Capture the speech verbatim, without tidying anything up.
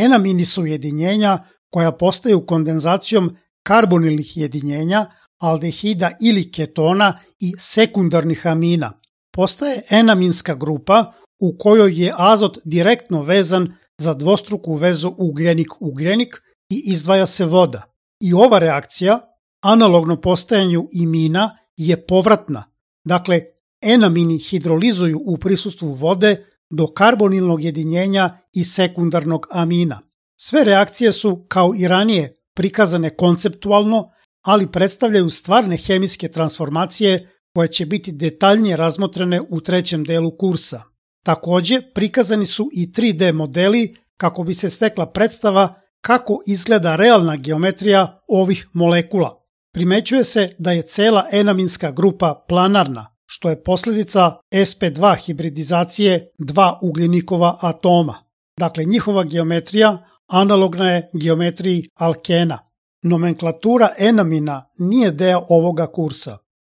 Enamini su jedinjenja koja postaju kondenzacijom karbonilnih jedinjenja, aldehida ili ketona i sekundarnih amina. Postaje enaminska grupa u kojoj je azot direktno vezan za dvostruku vezu ugljenik-ugljenik i izdvaja se voda. I ova reakcija, analogno postajanju imina, je povratna. Dakle, enamini hidrolizuju u prisustvu vode do karbonilnog jedinjenja i sekundarnog amina. Sve reakcije su, kao i ranije, prikazane konceptualno, ali predstavljaju stvarne hemijske transformacije koje će biti detaljnije razmotrene u trećem delu kursa. Takođe, prikazani su i tri D modeli kako bi se stekla predstava kako izgleda realna geometrija ovih molekula. Primećuje se da je cela enaminska grupa planarna, što je posljedica S P dva hibridizacije dva ugljenikova atoma. Dakle, njihova geometrija analogna je geometriji alkena. Nomenklatura enamina nije deo ovoga kursa.